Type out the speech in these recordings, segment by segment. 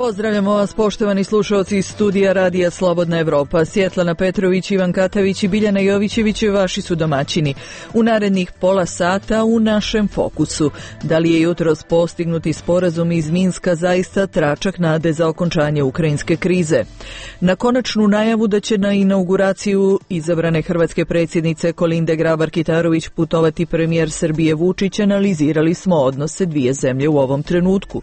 Pozdravljamo vas, poštovani slušalci iz studija Radija Slobodna Evropa. Svjetlana Petrović, Ivan Katavić i Biljana Jovićević vaši su domaćini. U narednih pola sata u našem fokusu. Da li je jutros postignuti sporazum iz Minska zaista tračak nade za okončanje ukrajinske krize? Na konačnu najavu da će na inauguraciju izabrane hrvatske predsjednice Kolinde Grabar-Kitarović putovati premijer Srbije Vučić, analizirali smo odnose dvije zemlje u ovom trenutku.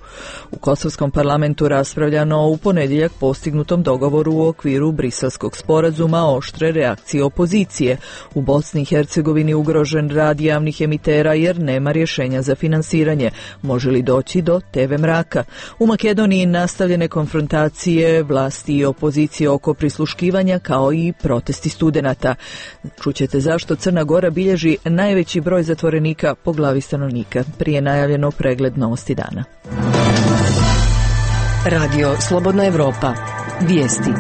U kosovskom parlamentu raspravljano u ponedjeljak postignutom dogovoru u okviru Briselskog sporazuma oštre reakcije opozicije. U Bosni i Hercegovini ugrožen rad javnih emitera jer nema rješenja za finansiranje. Može li doći do TV mraka? U Makedoniji nastavljene konfrontacije vlasti i opozicije oko prisluškivanja kao i protesti studenata. Čućete zašto Crna Gora bilježi najveći broj zatvorenika po glavi stanovnika. Prije najavljeno pregled novosti dana. Radio Slobodna Evropa. Vijesti.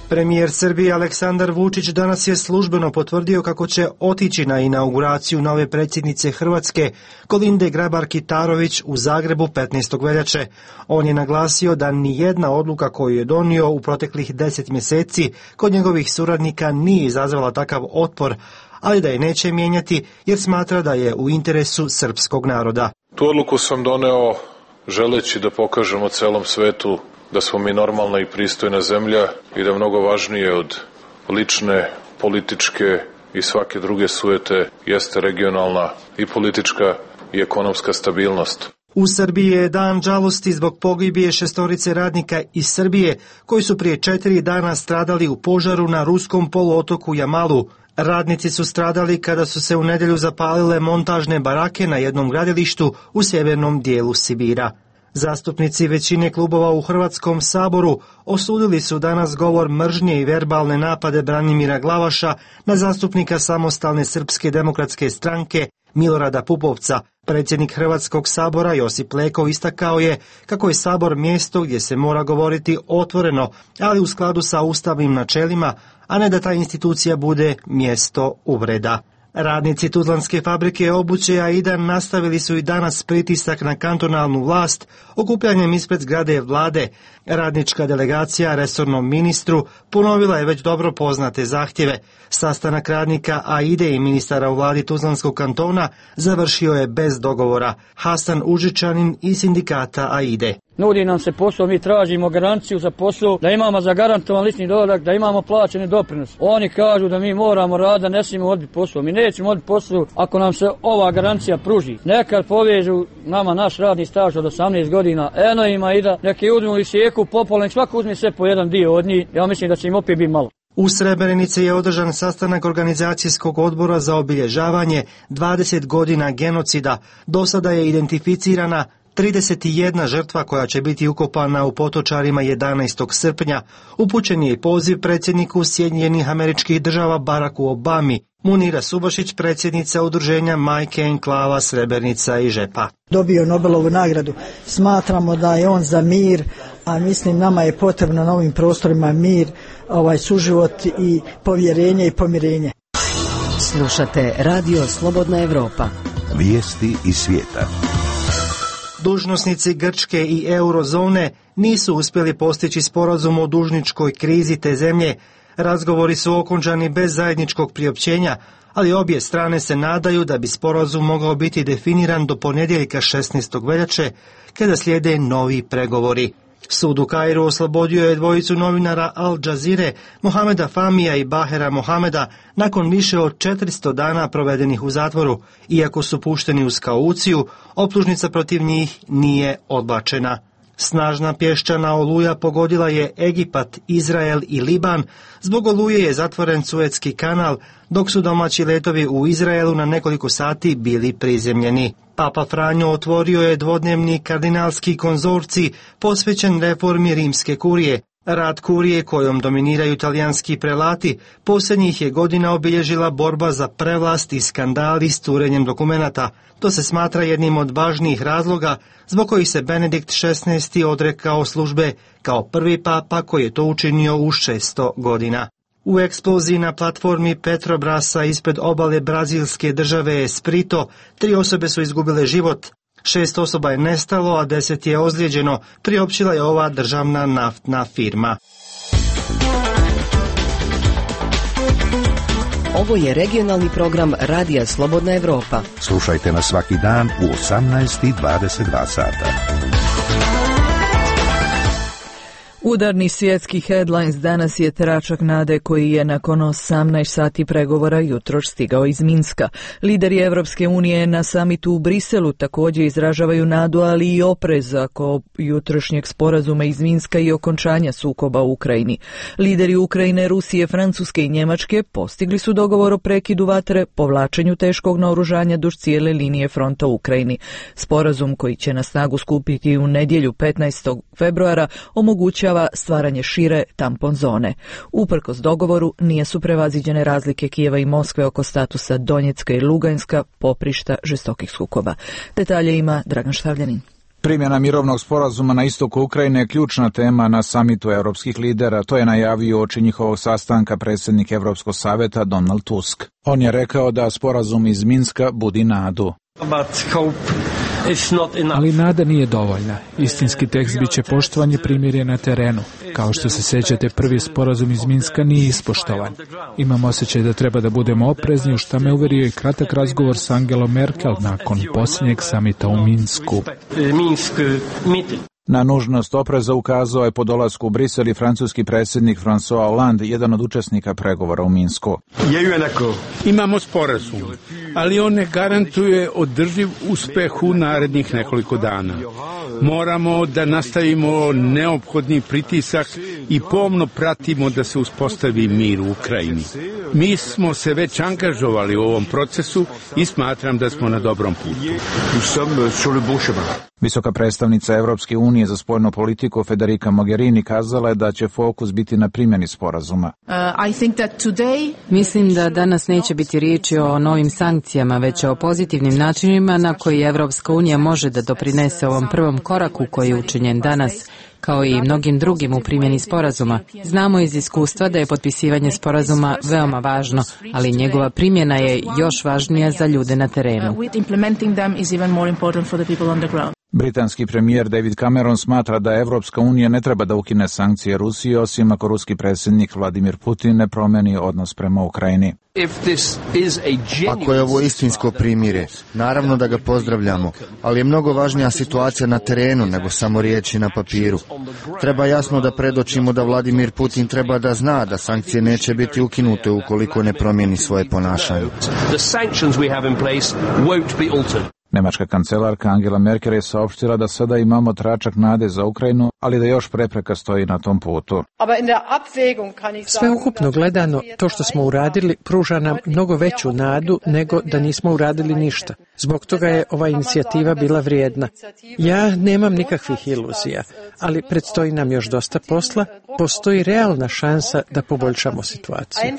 Premijer Srbije Aleksandar Vučić danas je službeno potvrdio kako će otići na inauguraciju nove predsjednice Hrvatske Kolinde Grabar-Kitarović u Zagrebu 15. veljače. On je naglasio da nijedna odluka koju je donio u proteklih 10 mjeseci kod njegovih suradnika nije izazvala takav otpor, ali da je neće mijenjati jer smatra da je u interesu srpskog naroda. Tu odluku sam doneo želeći da pokažemo celom svetu da smo mi normalna i pristojna zemlja i da mnogo važnije od lične, političke i svake druge sujete jeste regionalna i politička i ekonomska stabilnost. U Srbiji je dan žalosti zbog pogibije 6 radnika iz Srbije koji su prije 4 dana stradali u požaru na ruskom poluotoku Jamalu. Radnici su stradali kada su se u nedjelju zapalile montažne barake na jednom gradilištu u sjevernom dijelu Sibira. Zastupnici većine klubova u Hrvatskom saboru osudili su danas govor mržnje i verbalne napade Branimira Glavaša na zastupnika Samostalne srpske demokratske stranke Milorada Pupovca. Predsjednik Hrvatskog sabora Josip Leko istakao je kako je sabor mjesto gdje se mora govoriti otvoreno, ali u skladu sa ustavnim načelima, a ne da ta institucija bude mjesto uvreda. Radnici Tuzlanske fabrike obuće Aida nastavili su i danas pritisak na kantonalnu vlast okupljanjem ispred zgrade vlade. Radnička delegacija resornom ministru ponovila je već dobro poznate zahtjeve. Sastanak radnika Aide i ministara u vladi Tuzlanskog kantona završio je bez dogovora. Hasan Užičanin iz sindikata Aide. Nudi nam se posao, mi tražimo garanciju za posao, da imamo zagarantovan lični dohodak, da imamo plaćeni doprinos. Oni kažu da mi moramo raditi, da ne smijemo odbiti posao. Mi nećemo odbiti posao ako nam se ova garancija pruži. Nekad povežu nama naš radni staž od 18 godina, eno ima i da neki uzmu i sjeku popolno, svako uzme sve po jedan dio od njih, ja mislim da će im opet biti malo. U Srebrenici je održan sastanak organizacijskog odbora za obilježavanje 20 godina genocida. Do sada je identificirana 31 žrtva koja će biti ukopana u Potočarima 11. srpnja. Upućen je i poziv predsjedniku Sjedinjenih Američkih Država Baracku Obami. Munira Subašić, predsjednica udruženja Majke Enklava Srebrenica i Žepa. Dobio Nobelovu nagradu. Smatramo da je on za mir, a mislim nama je potrebno na ovim prostorima mir, suživot i povjerenje i pomirenje. Slušate Radio Slobodna Evropa. Vijesti iz svijeta. Dužnosnici Grčke i eurozone nisu uspjeli postići sporazum o dužničkoj krizi te zemlje. Razgovori su okončani bez zajedničkog priopćenja, ali obje strane se nadaju da bi sporazum mogao biti definiran do ponedjeljka 16. veljače, kada slijede novi pregovori. Sud u Kairu oslobodio je dvojicu novinara Al Jazeere, Mohameda Famija i Bahera Mohameda, nakon više od 400 dana provedenih u zatvoru. Iako su pušteni uz kauciju, optužnica protiv njih nije odbačena. Snažna pješčana oluja pogodila je Egipat, Izrael i Liban. Zbog oluje je zatvoren Suetski kanal, dok su domaći letovi u Izraelu na nekoliko sati bili prizemljeni. Papa Franjo otvorio je dvodnevni kardinalski konzorcij posvećen reformi rimske kurije. Rad kurije, kojom dominiraju talijanski prelati, posljednjih je godina obilježila borba za prevlast i skandali s curenjem dokumenata. To se smatra jednim od važnijih razloga zbog kojih se Benedikt XVI. Odrekao službe kao prvi papa koji je to učinio u 600 godina. U eksploziji na platformi Petrobrasa ispred obale brazilske države Espirito 3 osobe su izgubile život. 6 osoba je nestalo, a 10 je ozlijeđeno, priopćila je ova državna naftna firma. Ovo je regionalni program Radija Slobodna Evropa. Slušajte nas svaki dan u 18:22 sata. Udarni svjetski headlines danas je tračak nade koji je nakon 18 sati pregovora jutros stigao iz Minska. Lideri Evropske unije na samitu u Briselu također izražavaju nadu, ali i oprez oko jutrošnjeg sporazuma iz Minska i okončanja sukoba u Ukrajini. Lideri Ukrajine, Rusije, Francuske i Njemačke postigli su dogovor o prekidu vatre, povlačenju teškog naoružanja duž cijele linije fronta u Ukrajini. Sporazum koji će na snagu skupiti u nedjelju 15. februara omogućava stvaranje šire tampon zone. Uprkos dogovoru nije su prevaziđene razlike Kijeva i Moskve oko statusa Donjecka i Luganska, poprišta žestokih sukoba. Detalje ima Dragan Štavljanin. Primjena mirovnog sporazuma na istoku Ukrajine je ključna tema na samitu europskih lidera. To je najavio uoči njihovog sastanka predsjednik Europskog savjeta Donald Tusk. On je rekao da sporazum iz Minska budi nadu. Ali nada nije dovoljna. Istinski tekst bit će poštovanje primirja na terenu. Kao što se sjećate, prvi sporazum iz Minska nije ispoštovan. Imam osjećaj da treba da budemo oprezni, u što me uverio i kratak razgovor s Angelom Merkel nakon posljednjeg samita u Minsku. Na nužnost opreza ukazao je po dolasku u Brisel i francuski predsjednik François Hollande, jedan od učesnika pregovora u Minsku. Imamo sporazum, ali on ne garantuje održiv uspeh u narednih nekoliko dana. Moramo da nastavimo neophodni pritisak i pomno pratimo da se uspostavi mir u Ukrajini. Mi smo se već angažovali u ovom procesu i smatram da smo na dobrom putu. Visoka predstavnica Evropske unije za spoljnu politiku Federica Mogherini kazala je da će fokus biti na primjeni sporazuma. Mislim da danas neće biti riječi o novim sankcijama, već o pozitivnim načinima na koji Evropska unija može da doprinese ovom prvom koraku koji je učinjen danas, kao i mnogim drugim u primjeni sporazuma. Znamo iz iskustva da je potpisivanje sporazuma veoma važno, ali njegova primjena je još važnija za ljude na terenu. Britanski premijer David Cameron smatra da Evropska unija ne treba da ukine sankcije Rusiji, osim ako ruski predsjednik Vladimir Putin ne promeni odnos prema Ukrajini. Ako je ovo istinsko primirje, naravno da ga pozdravljamo, ali je mnogo važnija situacija na terenu nego samo riječi na papiru. Treba jasno da predočimo da Vladimir Putin treba da zna da sankcije neće biti ukinute ukoliko ne promijeni svoje ponašanje. Nemačka kancelarka Angela Merkel je saopštila da sada imamo tračak nade za Ukrajinu, ali da još prepreka stoji na tom putu. Sveukupno gledano, to što smo uradili pruža nam mnogo veću nadu nego da nismo uradili ništa. Zbog toga je ova inicijativa bila vrijedna. Ja nemam nikakvih iluzija, ali predstoji nam još dosta posla. Postoji realna šansa da poboljšamo situaciju.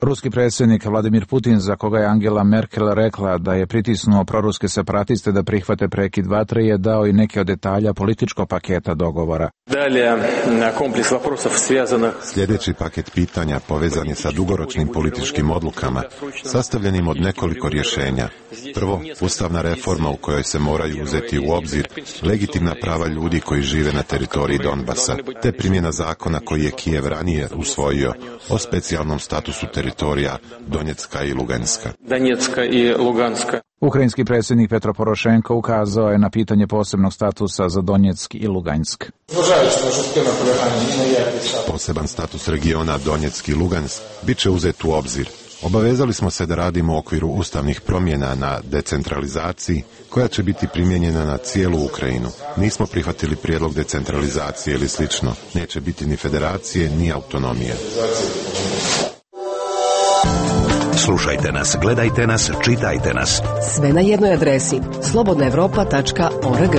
Ruski predsjednik Vladimir Putin, za koga je Angela Merkel rekla da je pritisnuo proruske separatiste da prihvate prekid vatre, je dao i neke od detalja političkog paketa dogovora. Sljedeći paket pitanja povezan je sa dugoročnim političkim odlukama, sastavljenim od nekoliko rješenja. Prvo, ustavna reforma u kojoj se moraju uzeti u obzir legitimna prava ljudi koji žive na teritoriji Donbasa, te primjena zakona koji je Kijev ranije usvojio o specijalnom statusu teritorija Donjecka i Luganska. Ukrajinski predsjednik Petro Porošenko ukazao je na pitanje posebnog statusa za Donjeck i Lugansk. Poseban status regiona Donjeck i Lugansk bit će uzet u obzir. Obavezali smo se da radimo u okviru ustavnih promjena na decentralizaciji koja će biti primijenjena na cijelu Ukrajinu. Nismo prihvatili prijedlog decentralizacije ili slično. Neće biti ni federacije, ni autonomije. Slušajte nas, gledajte nas, čitajte nas. Sve na jednoj adresi slobodnaevropa.org.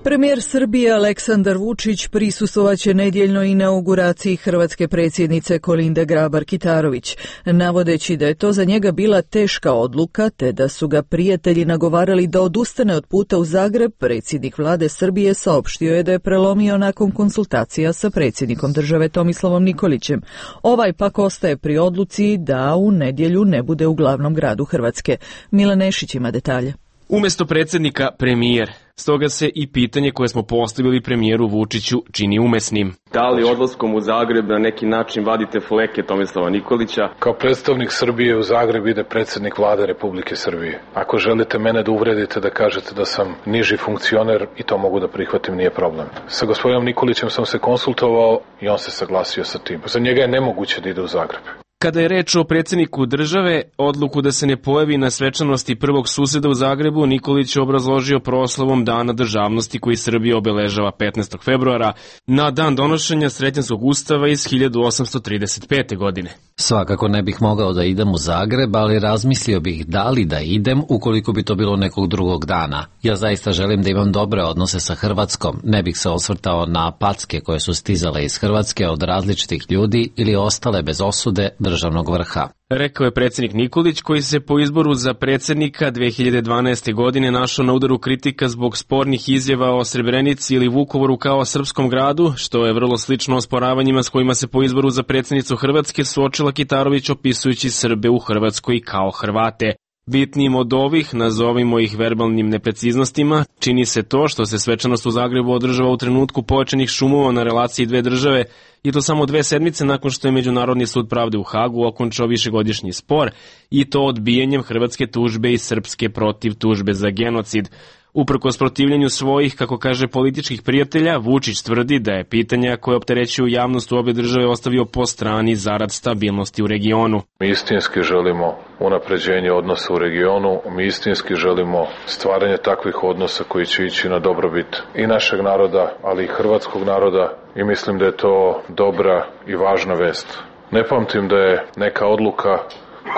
Premijer Srbije Aleksandar Vučić prisustvovaće nedjeljnoj inauguraciji hrvatske predsjednice Kolinde Grabar-Kitarović, navodeći da je to za njega bila teška odluka te da su ga prijatelji nagovarali da odustane od puta u Zagreb. Predsjednik vlade Srbije saopštio je da je prelomio nakon konsultacija sa predsjednikom države Tomislavom Nikolićem. Ovaj pak ostaje pri odluci da u nedjelju ne bude u glavnom gradu Hrvatske. Milan Nešić ima detalje. Umjesto predsjednika premijer, stoga se i pitanje koje smo postavili premijeru Vučiću čini umesnim. Da li odlaskom u Zagreb na neki način vadite fleke Tomislava Nikolića? Kao predstavnik Srbije u Zagreb ide predsjednik vlade Republike Srbije. Ako želite mene da uvredite, da kažete da sam niži funkcioner, i to mogu da prihvatim, nije problem. Sa gospodinom Nikolićem sam se konsultovao i on se saglasio sa tim. Za njega je nemoguće da ide u Zagreb. Kada je reč o predsjedniku države, odluku da se ne pojavi na svečanosti prvog suseda u Zagrebu, Nikolić je obrazložio proslavom Dana državnosti koji Srbija obeležava 15. februara, na dan donošenja Sretenskog ustava iz 1835. godine. Svakako ne bih mogao da idem u Zagreb, ali razmislio bih da li da idem ukoliko bi to bilo nekog drugog dana. Ja zaista želim da imam dobre odnose sa Hrvatskom, ne bih se osvrtao na packe koje su stizale iz Hrvatske od različitih ljudi ili ostale bez osude državnog vrha. Rekao je predsjednik Nikolić, koji se po izboru za predsjednika 2012. godine našao na udaru kritika zbog spornih izjava o Srebrenici ili Vukovaru kao srpskom gradu, što je vrlo slično osporavanjima s kojima se po izboru za predsjednicu Hrvatske suočila Kitarović opisujući Srbe u Hrvatskoj kao Hrvate. Bitnijim od ovih, nazovimo ih verbalnim nepreciznostima, čini se to što se svečanost u Zagrebu održava u trenutku pojačanih šumova na relaciji dve države, i to samo 2 sedmice nakon što je Međunarodni sud pravde u Hagu okončao višegodišnji spor, i to odbijanjem hrvatske tužbe i srpske protiv tužbe za genocid. Uprkos protivljenju svojih, kako kaže, političkih prijatelja, Vučić tvrdi da je pitanja koje opterećuju javnost u obje države ostavio po strani zarad stabilnosti u regionu. Mi istinski želimo unapređenje odnosa u regionu, mi istinski želimo stvaranje takvih odnosa koji će ići na dobrobit i našeg naroda, ali i hrvatskog naroda, i mislim da je to dobra i važna vest. Ne pamtim da je neka odluka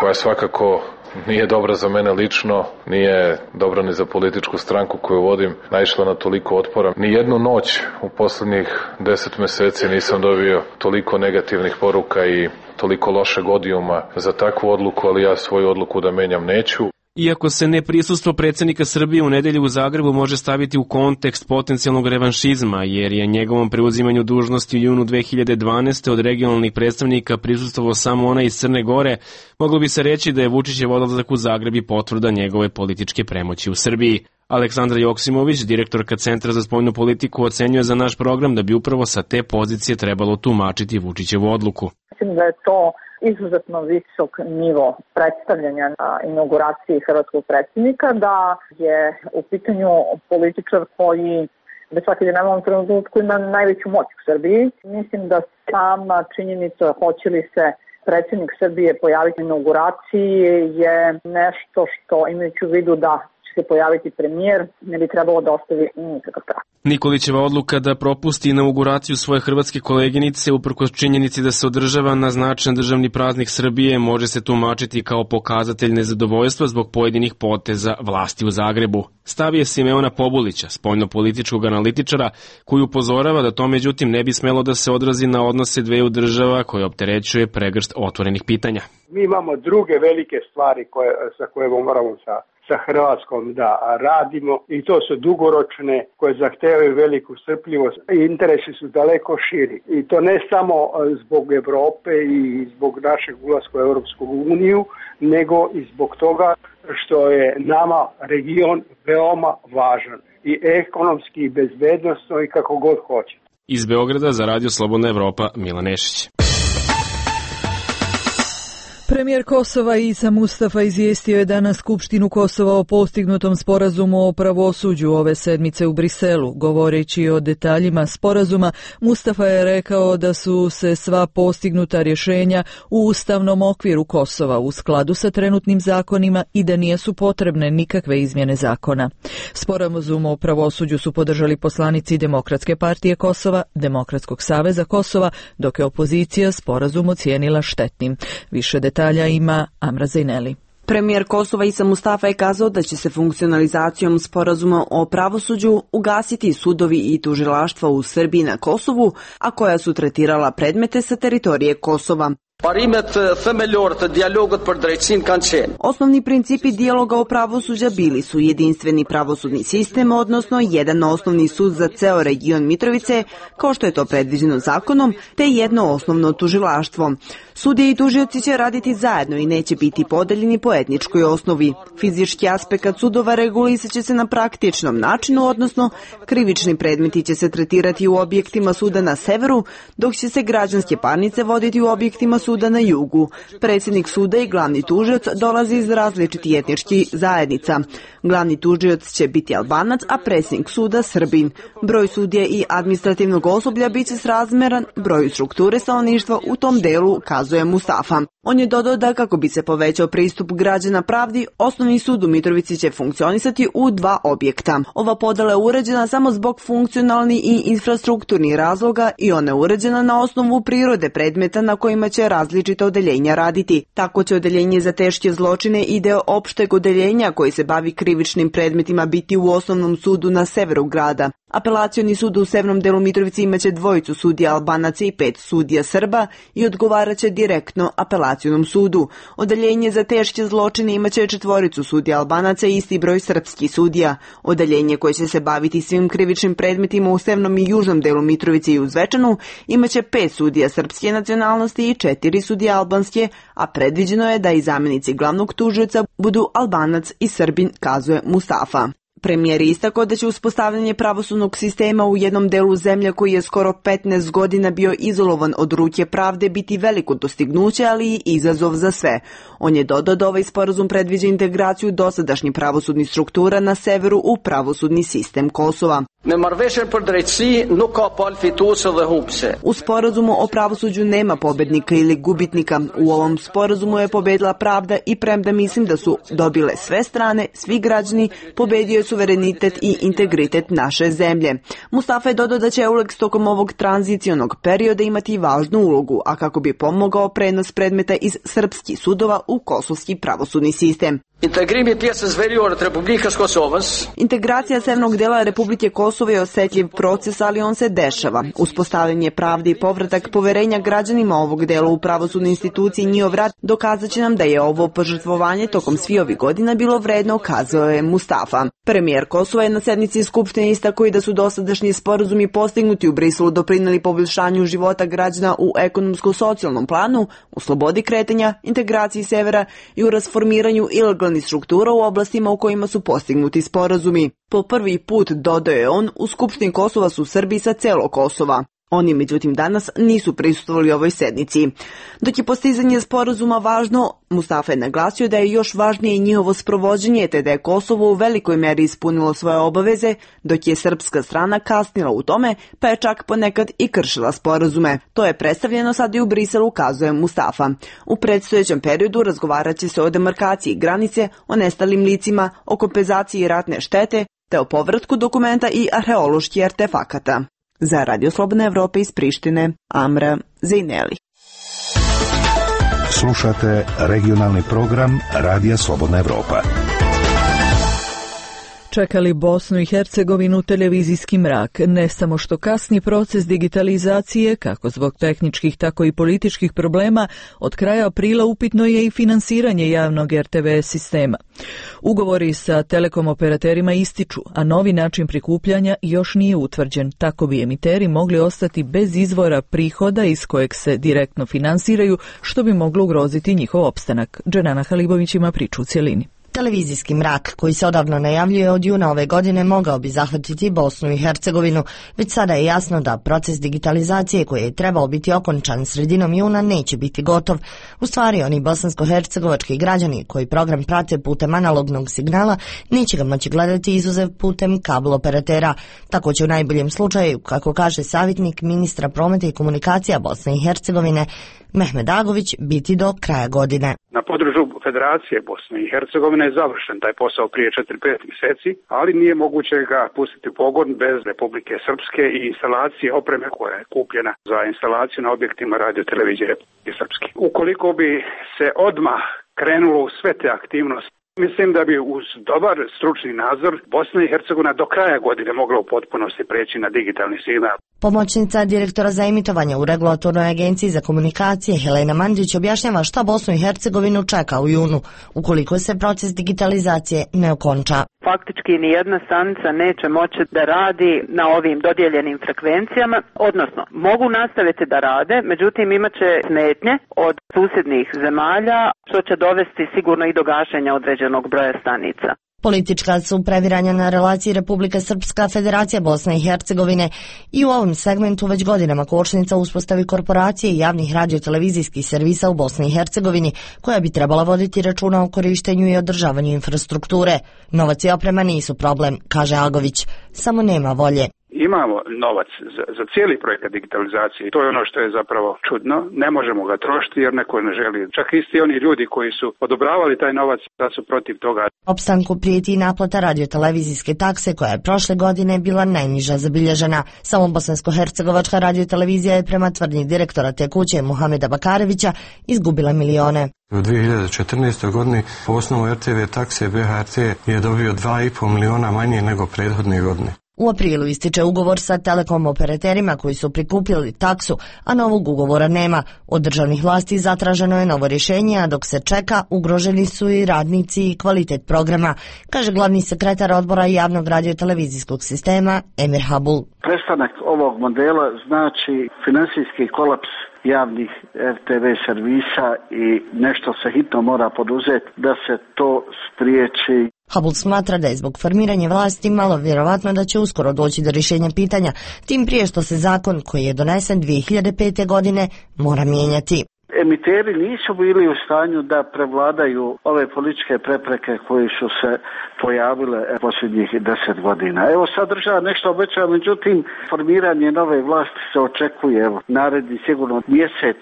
koja svakako nije dobra za mene lično, nije dobra ni za političku stranku koju vodim, naišla na toliko otpora. Ni jednu noć u posljednjih 10 mjeseci nisam dobio toliko negativnih poruka i toliko lošeg odijuma za takvu odluku, ali ja svoju odluku da menjam neću. Iako se neprisustvo predsjednika Srbije u nedjelju u Zagrebu može staviti u kontekst potencijalnog revanšizma, jer je njegovom preuzimanju dužnosti u junu 2012. od regionalnih predstavnika prisustvovao samo ona iz Crne Gore, moglo bi se reći da je Vučićev odlazak u Zagreb i potvrda njegove političke premoći u Srbiji. Aleksandra Joksimović, direktorka Centra za spoljnu politiku, ocenjuje za naš program da bi upravo sa te pozicije trebalo tumačiti Vučićevu odluku. Mislim da je to izuzetno visok nivo predstavljanja na inauguraciji hrvatskog predsjednika, da je u pitanju političar koji bez svake dileme u ovom trenutku ima najveću moć u Srbiji. Mislim da sama činjenica hoće li se predsjednik Srbije pojaviti na inauguraciji je nešto što, imajući u vidu da se pojaviti premijer, ne bi trebalo da ostavi nikakav trag. Nikolićeva odluka da propusti inauguraciju svoje hrvatske koleginice uprkos činjenici da se održava na značajan državni praznik Srbije može se tumačiti kao pokazatelj nezadovoljstva zbog pojedinih poteza vlasti u Zagrebu. Stav je Simeona Pobulića, spoljnopolitičkog analitičara, koji upozorava da to međutim ne bi smelo da se odrazi na odnose dveju država koje opterećuje pregršt otvorenih pitanja. Mi imamo druge velike stvari sa koje moramo sa Hrvatskom da radimo, i to su dugoročne, koje zahtevaju veliku strpljivost. Interesi su daleko širi i to ne samo zbog Europe i zbog našeg ulaska u Europsku uniju, nego i zbog toga što je nama region veoma važan i ekonomski i bezbednosno i kako god hoće. Iz Beograda za Radio Slobodna Evropa, Milan Nešić. Premijer Kosova Isa Mustafa izvijestio je danas Skupštinu Kosova o postignutom sporazumu o pravosuđu ove sedmice u Briselu. Govoreći o detaljima sporazuma, Mustafa je rekao da su se sva postignuta rješenja u ustavnom okviru Kosova u skladu sa trenutnim zakonima i da nisu potrebne nikakve izmjene zakona. Sporazum o pravosuđu su podržali poslanici Demokratske partije Kosova, Demokratskog saveza Kosova, dok je opozicija sporazum ocijenila štetnim. Više detalja ima Amra Zajneli. Premijer Kosova Isa Mustafa je kazao da će se funkcionalizacijom sporazuma o pravosuđu ugasiti sudovi i tužilaštva u Srbiji i na Kosovu, a koja su tretirala predmete sa teritorije Kosova. Osnovni principi dijaloga o pravosuđa bili su jedinstveni pravosudni sistem, odnosno jedan osnovni sud za ceo region Mitrovice, kao što je to predviđeno zakonom, te jedno osnovno tužilaštvo. Sudije i tužioci će raditi zajedno i neće biti podeljeni po etničkoj osnovi. Fizički aspekt sudova regulisat će se na praktičnom načinu, odnosno krivični predmeti će se tretirati u objektima suda na severu, dok će se građanske parnice voditi u objektima suda na jugu. Predsjednik suda i glavni tužioc dolazi iz različitih etničkih zajednica. Glavni tužioc će biti Albanac, a predsjednik suda Srbin. Broj sudija i administrativnog osoblja bit će srazmjeran broju strukture stanovništva u tom delu, kazuje Mustafa. On je dodao da kako bi se povećao pristup građana pravdi, osnovni sud u Mitrovici će funkcionisati u 2 objekta. Ova podela je uređena samo zbog funkcionalnih i infrastrukturnih razloga i ona je uređena na osnovu prirode predmeta na kojima će različita odeljenja raditi. Tako će odeljenje za teške zločine i deo opšteg odeljenja koji se bavi krivičnim predmetima biti u osnovnom sudu na severu grada. Apelacioni sud u severnom delu Mitrovice imaće 2 sudija Albanaca i 5 sudija Srba i odgovaraće direktno apelacionom sudu. Odeljenje za teške zločine imaće 4 sudija Albanaca i isti broj srpskih sudija. Odeljenje koje će se baviti svim krivičnim predmetima u severnom i južnom delu Mitrovice i u Zvečanu imaće 5 sudija srpske nacionalnosti i 4 sudija albanske, a predviđeno je da i zamjenici glavnog tužioca budu Albanac i Srbin, kazuje Mustafa. Premijer je istakao da će uspostavljanje pravosudnog sistema u jednom delu zemlje koji je skoro 15 godina bio izolovan od ruke pravde biti veliko dostignuće, ali i izazov za sve. On je dodao da ovaj sporazum predviđa integraciju dosadašnjih pravosudnih struktura na severu u pravosudni sistem Kosova. U sporazumu o pravosuđu nema pobednika ili gubitnika. U ovom sporazumu je pobedila pravda i premda mislim da su dobile sve strane, svi građani, pobedio je suverenitet i integritet naše zemlje. Mustafa je dodao da će EULEX tokom ovog tranzicionog perioda imati važnu ulogu, a kako bi pomogao prenos predmeta iz srpskih sudova u kosovski pravosudni sistem. Integracija severnog dela Republike Kosovo je osjetljiv proces, ali on se dešava. Uspostavljanje pravde i povratak poverenja građanima ovog dela u pravosudne institucije i njihov rad dokazat će nam da je ovo požrtvovanje tokom svih ovih godina bilo vredno, kazao je Mustafa. Premijer Kosova je na sednici Skupštine istakao i da su dosadašnji sporazumi postignuti u Briselu doprinijeli poboljšanju života građana u ekonomsko-socijalnom planu, u slobodi kretanja, integraciji severa i u rasformiranju ilegalnih struktura u oblastima u kojima su postignuti sporazumi. Po prvi put, dodao je on, u Skupštini Kosova su Srbi sa celog Kosova. Oni, međutim, danas nisu prisustvovali ovoj sednici. Dok je postizanje sporazuma važno, Mustafa je naglasio da je još važnije njihovo sprovođenje, te da je Kosovo u velikoj meri ispunilo svoje obaveze, dok je srpska strana kasnila u tome, pa je čak ponekad i kršila sporazume. To je predstavljeno sad i u Briselu, kazuje Mustafa. U predstojećem periodu razgovarat će se o demarkaciji granice, o nestalim licima, o kompenzaciji ratne štete, te o povratku dokumenta i arheoloških artefakata. Za Radio Slobodne Evrope iz Prištine, Amra Zejneli. Slušate regionalni program Radija Slobodna Evropa. Čekali Bosnu i Hercegovinu televizijski mrak. Ne samo što kasni proces digitalizacije, kako zbog tehničkih, tako i političkih problema, od kraja aprila upitno je i finansiranje javnog RTV sistema. Ugovori sa telekom operaterima ističu, a novi način prikupljanja još nije utvrđen. Tako bi emiteri mogli ostati bez izvora prihoda iz kojeg se direktno finansiraju, što bi moglo ugroziti njihov opstanak. Dženana Halibović ima priču u cjelini. Televizijski mrak, koji se odavno najavljuje od juna ove godine, mogao bi zahvatiti Bosnu i Hercegovinu. Već sada je jasno da proces digitalizacije koji je trebao biti okončan sredinom juna neće biti gotov. U stvari, oni bosansko-hercegovački građani koji program prate putem analognog signala neće ga moći gledati izuzev putem kabel operatera. Tako će u najboljem slučaju, kako kaže savjetnik ministra prometa i komunikacija Bosne i Hercegovine, Mehmed Agović, biti do kraja godine. Na području Federacije Bosne i Hercegovine je završen taj posao prije 4-5 mjeseci, ali nije moguće ga pustiti u pogon bez Republike Srpske i instalacije opreme koja je kupljena za instalaciju na objektima radio televizije Republike Srpske. Ukoliko bi se odmah krenulo u sve te aktivnosti. Mislim da bi uz dobar stručni nadzor Bosna i Hercegovina do kraja godine mogla u potpunosti preći na digitalni signal. Pomoćnica direktora za emitovanje u Regulatornoj agenciji za komunikacije Helena Mandić objašnjava šta Bosnu i Hercegovinu čeka u junu, ukoliko se proces digitalizacije ne okonča. Faktički nijedna stanica neće moći da radi na ovim dodijeljenim frekvencijama, odnosno mogu nastaviti da rade, međutim imat će smetnje od susjednih zemalja, što će dovesti sigurno i do gašenja određenog broja stanica. Politička su previranja na relaciji Republika Srpska, Federacija Bosne i Hercegovine i u ovom segmentu već godinama kočnica uspostavi korporacije i javnih radiotelevizijskih servisa u Bosni i Hercegovini, koja bi trebala voditi računa o korištenju i održavanju infrastrukture. Novac i oprema nisu problem, kaže Agović, samo nema volje. Imamo novac za cijeli projekat digitalizacije. To je ono što je zapravo čudno. Ne možemo ga trošiti jer neko ne želi. Čak isti oni ljudi koji su odobravali taj novac da su protiv toga. Opstanku prijeti i naplata radiotelevizijske takse koja je prošle godine bila najniža zabilježena. Samo Bosansko-hercegovačka radiotelevizija je prema tvrdnji direktora te kuće Muhameda Bakarevića izgubila milione. U 2014. godini po osnovu RTV takse BHRT je dobio 2,5 miliona manje nego prethodne godine. U aprilu ističe ugovor sa telekom operaterima koji su prikupili taksu, a novog ugovora nema. Od državnih vlasti zatraženo je novo rješenje, a dok se čeka, ugroženi su i radnici i kvalitet programa, kaže glavni sekretar odbora javnog radiotelevizijskog sistema Emir Habul. Prestanak ovog modela znači finansijski kolaps javnih RTV servisa i nešto se hitno mora poduzeti da se to spriječi. Habul smatra da je zbog formiranja vlasti malo vjerovatno da će uskoro doći do rješenja pitanja, tim prije što se zakon koji je donesen 2005. godine mora mijenjati. Emiteri nisu bili u stanju da prevladaju ove političke prepreke koje su se pojavile posljednjih 10 godina. Evo sad država nešto obećava, međutim formiranje nove vlasti se očekuje naredni sigurno mjesec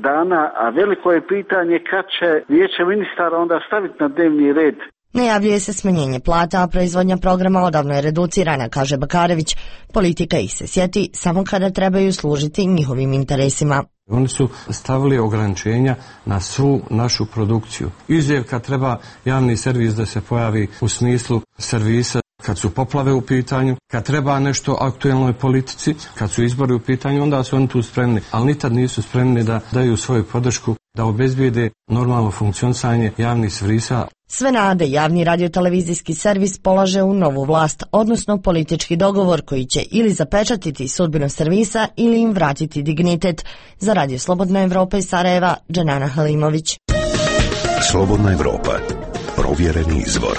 dana, a veliko je pitanje kad će vijeće ministara onda staviti na dnevni red. Najavljuje se smanjenje plata, a proizvodnja programa odavno je reducirana, kaže Bakarević. Politika ih se sjeti samo kada trebaju služiti njihovim interesima. Oni su stavili ograničenja na svu našu produkciju. Izuzev kad treba javni servis da se pojavi u smislu servisa, kad su poplave u pitanju, kad treba nešto aktuelnoj politici, kad su izbori u pitanju, onda su oni tu spremni, ali nikad nisu spremni da daju svoju podršku, da obezbijede normalno funkcionisanje javnih servisa. Sve nade javni radiotelevizijski servis polaže u novu vlast, odnosno politički dogovor koji će ili zapečatiti sudbinu servisa ili im vratiti dignitet. Za Radio Slobodna Evropa iz Sarajeva, Dženana Halimović. Slobodna Evropa, provjereni izvor.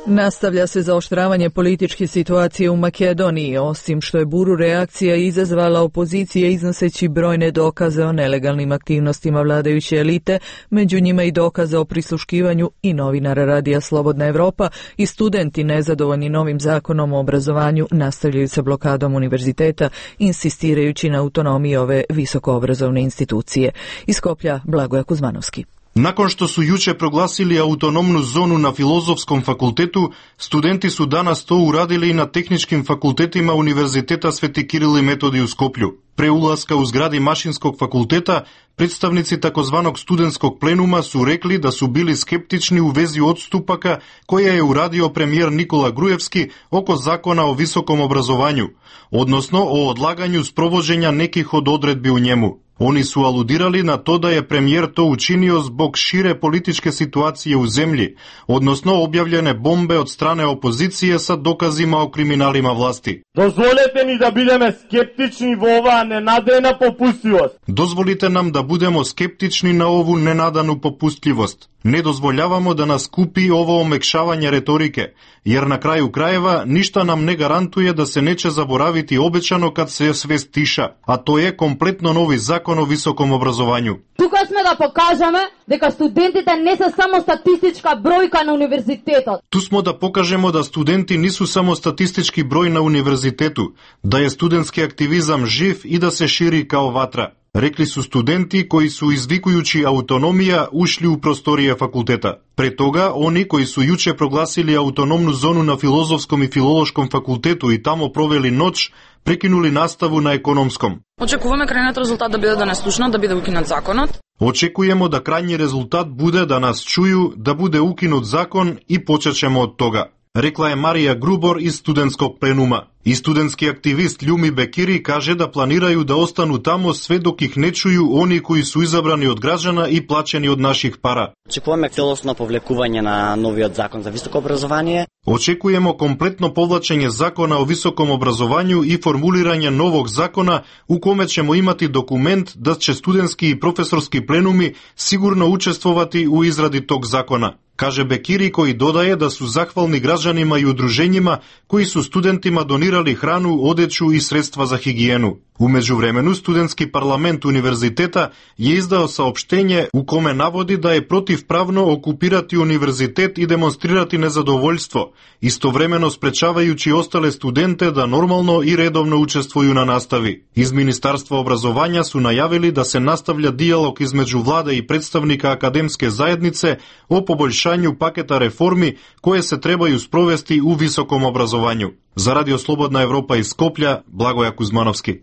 Nastavlja se zaoštravanje političke situacije u Makedoniji, osim što je buru reakcija izazvala opozicija iznoseći brojne dokaze o nelegalnim aktivnostima vladajuće elite, među njima i dokaze o prisluškivanju i novinara Radija Slobodna Evropa i studenti nezadovoljni novim zakonom o obrazovanju nastavljaju sa blokadom univerziteta, insistirajući na autonomiji ove visokoobrazovne institucije. Iz Skoplja, Blagoja Kuzmanovski. Nakon što su juče proglasili autonomnu zonu na Filozofskom fakultetu, studenti su danas to uradili i na tehničkim fakultetima Univerziteta Sveti Kiril i Metodij u Skoplju. Pre ulaska u zgradi Mašinskog fakulteta, predstavnici takozvanog studentskog plenuma su rekli da su bili skeptični u vezi odstupaka koje je uradio premijer Nikola Grujevski oko zakona o visokom obrazovanju, odnosno o odlaganju sprovođenja nekih od odredbi u njemu. Oni su aludirali na to da je premijer to učinio zbog šire političke situacije u zemlji, odnosno objavljene bombe od strane opozicije sa dokazima o kriminalima vlasti. Dozvolite mi da budemo skeptični v ova nenadana popustljivost. Dozvolite nam da budemo skeptični na ovu nenadanu popustljivost. Ne dozvoljavamo da nas kupi ovo omekšavanje retorike, jer na kraju krajeva ništa nam ne garantuje da se neće zaboraviti obećano kad se sve stiša, a to je kompletno novi zakon o visokom obrazovanju. Тука сме да покажеме дека студентите не се само статистичка бројка на универзитетот. Tu smo da pokažemo da studenti nisu samo statistički broj na univerzitetu, da je studentski aktivizam živ i da se širi kao vatra. Rekli su studenti koji su izvikujući autonomija ušli u prostorije fakulteta. Pre toga, oni koji su juče proglasili autonomnu zonu na Filozofskom i Filološkom fakultetu i tamo proveli noć, prekinuli nastavu na ekonomskom. Очекуваме крајниот резултат да биде донесушно, да биде укинат законот. Очекujemo da krajnji rezultat bude da nas čuju, da bude ukinut zakon i počet ćemo od toga, rekla je Marija Grubor iz studentskog plenuma. I studentski aktivist Ljumi Bekiri kaže da planiraju da ostanu tamo sve dok ih ne čuju oni koji su izabrani od građana i plaćeni od naših para. Очекуваме целосно повлекување на новиот закон за високо образование. Očekujemo kompletno povlačenje zakona o visokom obrazovanju i formuliranje novog zakona u kome ćemo imati dokument da će studentski i profesorski plenumi sigurno učestvovati u izradi tog zakona, kaže Bekiri, koji dodaje da su zahvalni građanima i udruženjima koji su studentima donirali hranu, odeću i sredstva za higijenu. U međuvremenu, studentski parlament univerziteta je izdao saopštenje u kome navodi da je protivpravno okupirati univerzitet i demonstrirati nezadovoljstvo, istovremeno sprečavajući ostale studente da normalno i redovno učestvuju na nastavi. Iz Ministarstva obrazovanja su najavili da se nastavlja dijalog između vlade i predstavnika akademske zajednice o poboljšanju paketa reformi koje se trebaju sprovesti u visokom obrazovanju. Za Radio Slobodna Evropa iz Skoplja, Blagoja Kuzmanovski.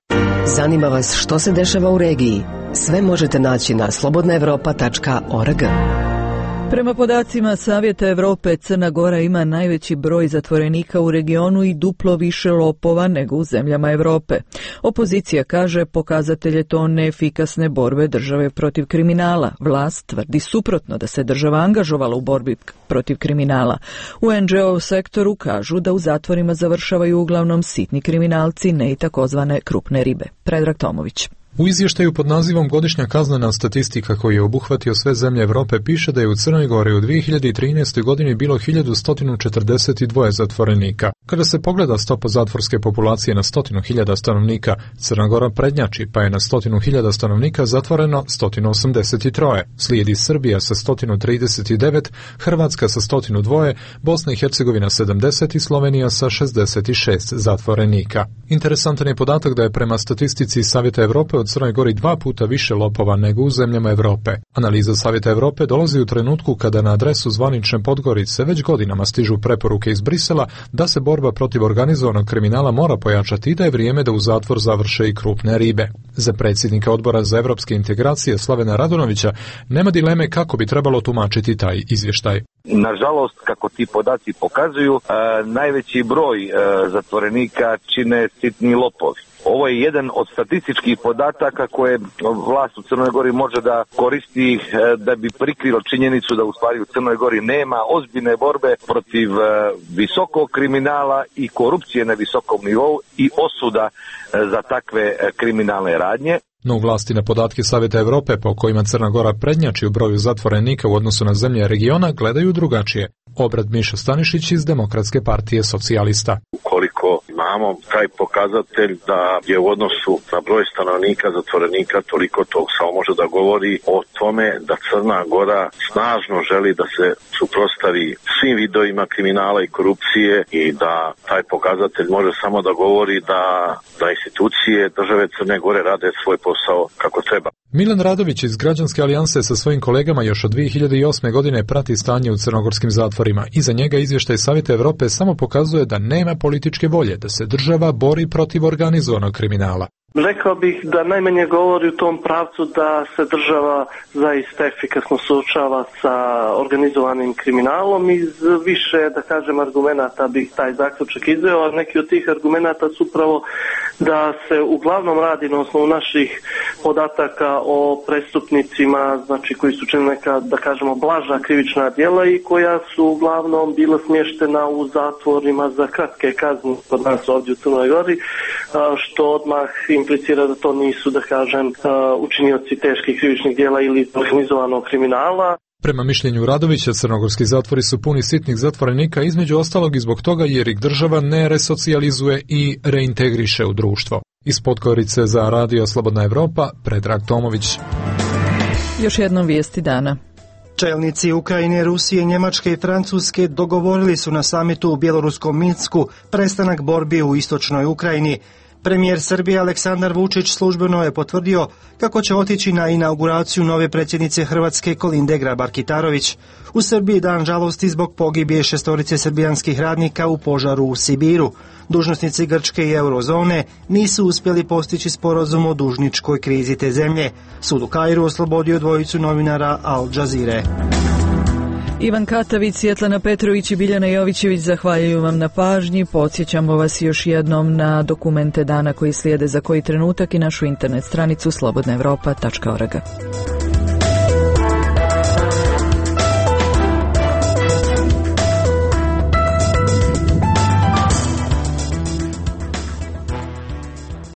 Zanima vas što se dešava u regiji? Sve možete naći na slobodnaevropa.org. Prema podacima Savjeta Evrope, Crna Gora ima najveći broj zatvorenika u regionu i duplo više lopova nego u zemljama Evrope. Opozicija kaže pokazatelj je to neefikasne borbe države protiv kriminala. Vlast tvrdi suprotno, da se država angažovala u borbi protiv kriminala. U NGO sektoru kažu da u zatvorima završavaju uglavnom sitni kriminalci, ne i takozvane krupne ribe. Predrag Tomović. U izvještaju pod nazivom Godišnja kaznena statistika koji je obuhvatio sve zemlje Evrope piše da je u Crnoj Gori u 2013. godini bilo 1142 zatvorenika. Kada se pogleda stopa zatvorske populacije na 100.000 stanovnika, Crna Gora prednjači, pa je na 100.000 stanovnika zatvoreno 183. Slijedi Srbija sa 139, Hrvatska sa 102, Bosna i Hercegovina 70 i Slovenija sa 66 zatvorenika. Interesantan je podatak da je prema statistici Savjeta Evrope od Crnoj Gori 2 puta više lopova nego u zemljama Evrope. Analiza Savjeta Evrope dolazi u trenutku kada na adresu zvanične Podgorice već godinama stižu preporuke iz Brisela da se borba protiv organizovanog kriminala mora pojačati i da je vrijeme da u zatvor završe i krupne ribe. Za predsjednika Odbora za evropske integracije Slavena Radonovića nema dileme kako bi trebalo tumačiti taj izvještaj. Nažalost, kako ti podaci pokazuju, najveći broj zatvorenika čine sitni lopovi. Ovo je jedan od statističkih podataka koje vlast u Crnoj Gori može da koristi da bi prikrilo činjenicu da u stvari u Crnoj Gori nema ozbiljne borbe protiv visokog kriminala i korupcije na visokom nivou i osuda za takve kriminalne radnje. No u vlasti na podatke Savjeta Evrope po kojima Crna Gora prednjači u broju zatvorenika u odnosu na zemlje regiona gledaju drugačije. Obrad Miša Stanišić iz Demokratske partije socijalista. Ukoliko imamo taj pokazatelj da je u odnosu na broj stanovnika zatvorenika toliko, to samo može da govori o tome da Crna Gora snažno želi da se suprotstavi svim vidovima kriminala i korupcije i da taj pokazatelj može samo da govori da institucije države Crne Gore rade svoj posao kako treba. Milan Radović iz Građanske alijanse sa svojim kolegama još od 2008. godine prati stanje u crnogorskim zatvorima i za njega izvještaj Savjeta Evrope samo pokazuje da nema političke volje da se država bori protiv organizovanog kriminala. Rekao bih da najmanje govori u tom pravcu da se država zaista efikasno suočava sa organizovanim kriminalom. Iz više, da kažem, argumenata bih taj zaključak izveo, a neki od tih argumenata su upravo da se uglavnom radi na osnovu naših podataka o prestupnicima, znači koji su činili neka, da kažemo, blaža krivična djela i koja su uglavnom bila smještena u zatvorima za kratke kazne kod nas ovdje u Crnoj Gori, što odmah implicira da to nisu, da kažem, učinioci teških krivičnih djela ili organizovanog kriminala. Prema mišljenju Radovića, crnogorski zatvori su puni sitnih zatvorenika, između ostalog i zbog toga jer ih država ne resocijalizuje i reintegriše u društvo. Iz Podgorice za Radio Slobodna Evropa, Predrag Tomović. Još jednom vijesti dana. Čelnici Ukrajine, Rusije, Njemačke i Francuske dogovorili su na samitu u bjeloruskom Minsku prestanak borbi u istočnoj Ukrajini. Premijer Srbije Aleksandar Vučić službeno je potvrdio kako će otići na inauguraciju nove predsjednice Hrvatske Kolinde Grabar-Kitarović. U Srbiji dan žalosti zbog pogibije 6 srbijanskih radnika u požaru u Sibiru. Dužnosnici Grčke i eurozone nisu uspjeli postići sporazum o dužničkoj krizi te zemlje. Sud u Kairu oslobodio 2 novinara Al Jazeere. Ivan Katavić, Svjetlana Petrović i Biljana Jovićević zahvaljuju vam na pažnji. Podsjećamo vas još jednom na dokumente dana koji slijede za koji trenutak i našu internet stranicu slobodnaevropa.org.